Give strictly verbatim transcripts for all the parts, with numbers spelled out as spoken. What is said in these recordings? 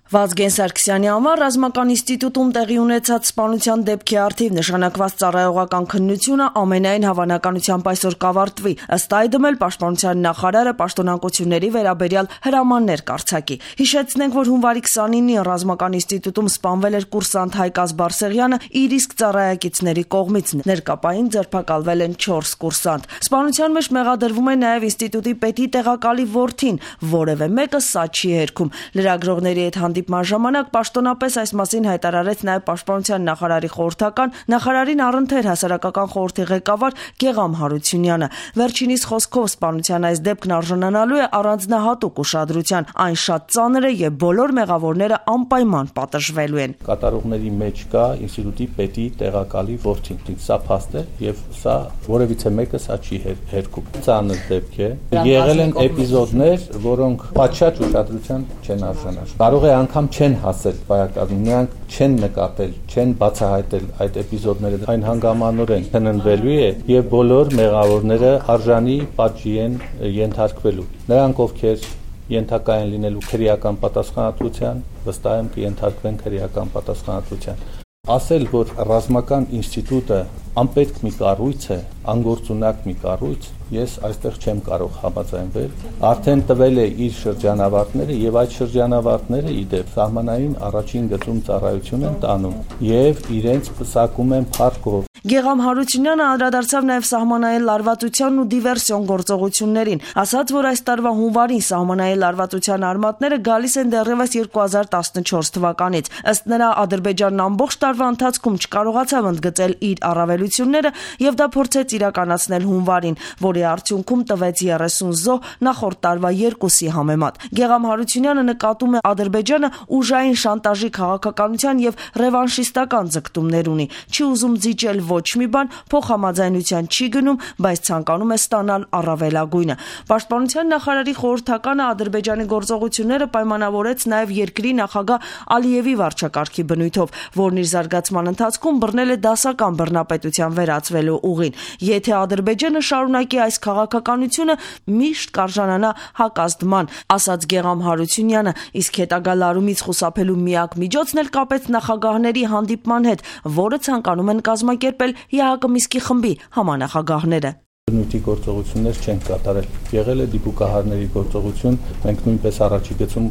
Վազգեն Սարգսյանի անվան ռազմական ինստիտուտում տեղի ունեցած սպանության դեպքի առթիվ նշանակված ծառայողական քննությունը ամենայն հավանականությամբ այսօր կավարտվի, ըստ այդմ էլ պաշտպանության նախարարը պաշտոնանկությունների վերաբերյալ հրամաններ կարձակի։ Հիշեցնենք, որ հունվարի քսանինին ռազմական ինստիտուտում սպանվել էր կուրսանտ Հայկազ Բարսեղյանը իր իսկ ծառայակիցների կողմից, ներկապային ձերբակալվել են չորս կուրսանտ։ Սպանության մեջ մեղադրվում է նաև ինստիտուտի պետի տեղակալի որդին, որևէ մեկը սա չի հերքում։ Լրագրողների հետ հանդիպման ժամանակ պաշտոնապես այս մասին հայտարարեց նաև պաշտպանության նախարարի խորհրդական, նախարարին առընթեր հասարակական խորհրդի ղեկավար Գեղամ Հարությունյանը։ Վերջինիս խոսքով սպանության այս դեպքն արժանանալու է առանձնահատուկ ուշադրության, այն շատ ծանր է եւ բոլոր մեղավորները անպայման պատժվելու են։ Կատարողների մեջ կա ինստիտուտի պետի տեղակալի որդին։ Սա փաստ է եւ սա որևիցե մեկը սա չի հերքում։ Ծանր դեպք է։ Եղել են էպիզոդներ, որոնք պատշաճ ուշադրության չեն արժանացել։ Կարող է անգամ չեն հասել վայրկյանում, նրանք չեն նկատել, չեն բացահայտել այդ էպիզոդները, այն հանգամանորեն քննվելու է եւ բոլոր մեղավորները արժանի պատժի են ենթարկվելու։ Նրանք, ովքեր ենթակա են լինելու քրեական պատասխանատվության, վստահ եմ կենթարկվեն քրեական պատասխանատվության։ Ասել, որ ռազմական ինստիտուտը անպետք մի կառույց է, անգործունակ մի կառույց, ես այստեղ չեմ կարող համաձայնվել։ Արդեն տվել է իր շրջանավարտները եւ այդ շրջանավարտները իդեպ սահմանային առաջին գծում ծառայություն են տանում եւ իրենց պսակում են փառքով։ Գեղամ Հարությունյանը անդրադարձավ նաև սահմանային լարվածությանն ու դիվերսիոն գործողություններին, ասաց, որ այս տարվա հունվարին սահմանային լարվածության արմատները գալիս են դեռևս երկու հազար տասնչորս թվականից։ Ըստ նրա, Ադրբեջանն ամբողջ տարվա ընթացքում չկարողացավ ընդգծել իր առավելությունները եւ դա փորձեց իրականացնել հունվարին, որի արդյունքում տվեց երեսուն զոհ նախորդ տարվա երկուսի համեմատ։ Գեղամ Հարությունյանը նկատում է Ադրբեջանը ուժային շանտաժի քաղաքականության եւ ռևանշիստական ձգտումներ ունի, չի ուզում զիջել ոչ մի բան, փոխհամաձայնության չի գնում, բայց ցանկանում է ստանալ առավելագույնը։ Պաշտպանության նախարարի խորհրդականը Ադրբեջանի գործողությունները պայմանավորեց նաև երկրի նախագահ Ալիևի վարչակարգի բնույթով, որն իր զարգացման ընթացքում բռնել է դասական բռնապետության վերածվելու ուղին։ Եթե Ադրբեջանը շարունակի այս քաղաքականությունը, միշտ կարժանանա հակազդման, ասաց Գեղամ Հարությունյանը, իսկ հետագա լարումից խուսափելու միակ միջոցն էլ կապեց նախագահների հանդիպման հետ, որը ցանկանում են կազմակերպել ԵԱՀԿ Միսկի խմբի համանախագահները։ Բնույթի գործողություններ չեն կատարել։ Եղել է դիպուկահարների գործողություն, մենք նույնպես առաջի գծում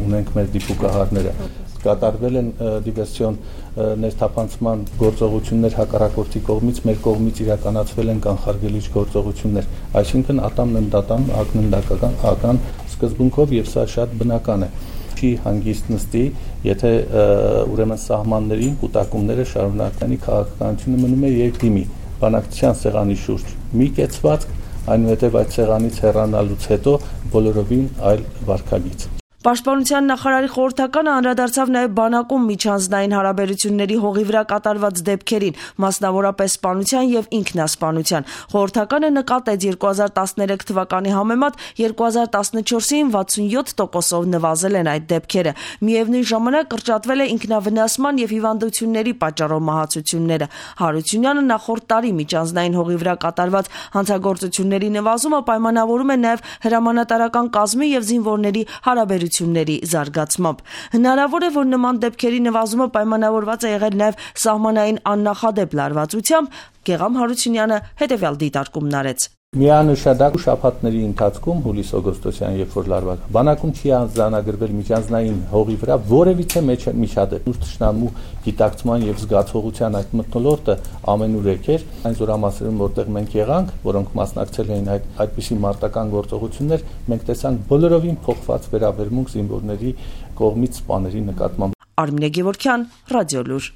ունենք մեր դիպուկահարները։ Կատարվել են դիվերսիոն ներթափանցման գործողություններ հակառակորդի կողմից, մեր կողմից իրականացվել են կանխարգելիչ գործողություններ, այսինքն ատամննդատամ, ակննդակական ական սկզբունքով եւ սա շատ բնական է։ Չի հանգիստ նստի, եթե ուրեմն սահմաններին կուտակումները շարունականի քաղաքականությունը մնում է երկդիմի բանակցության սեղանի շուրջ մի կեցված, այնուհետև այդ սեղանից հեռանալուց հետո բոլորովին այլ վարքագիծ։ Պաշտպանության նախարարի խորհրդականը անդրադարձավ նաև բանակում միջանձնային հարաբերությունների հողի վրա կատարված դեպքերին, մասնավորապես սպանության եւ ինքնասպանության։ Խորհրդականը նկատեց երկու հազար տասներեք թվականի համեմատ երկու հազար տասնչորսին վաթսունյոթ տոկոսով նվազել են այդ դեպքերը։ Միևնույն ժամանակ կրճատվել է ինքնավնասման եւ հիվանդությունների պատճառով մահացությունները։ Հարությունյանը նախորդ տարի միջանձնային հողի վրա կատարված հանցագործությունների նվազումը պայմանավորում է նաև հրամանատարական կազմի եւ զինվորների հարաբերությունների զարգացմամբ։ Հնարավոր է, որ նման դեպքերի նվազումը պայմանավորված է եղել նաև սահմանային աննախադեպ լարվածությամբ, Գեղամ Հարությունյանը հետևյալ դիտարկումն արեց։ Միանշանակ շաբաթների ընթացքում հուլիս-օգոստոսյան, երբ որ լարված բանակում չի անձանագրվել միջանձնային հողի վրա որևիցե միջադեպ։ Թշնամու գիտակցման եւ զգացողության այդ մթնոլորտը ամենուր եկեր այն զորամասերում, որտեղ մենք եղանք, որոնք մասնակցել էին այդ այդպիսի մարտական գործողություններ, մենք տեսանք բոլորովին փոխված վերաբերմունք զինվորների կողմից սպաների նկատմամբ։ Արմինե Գևորգյան, Ռադիոլուր։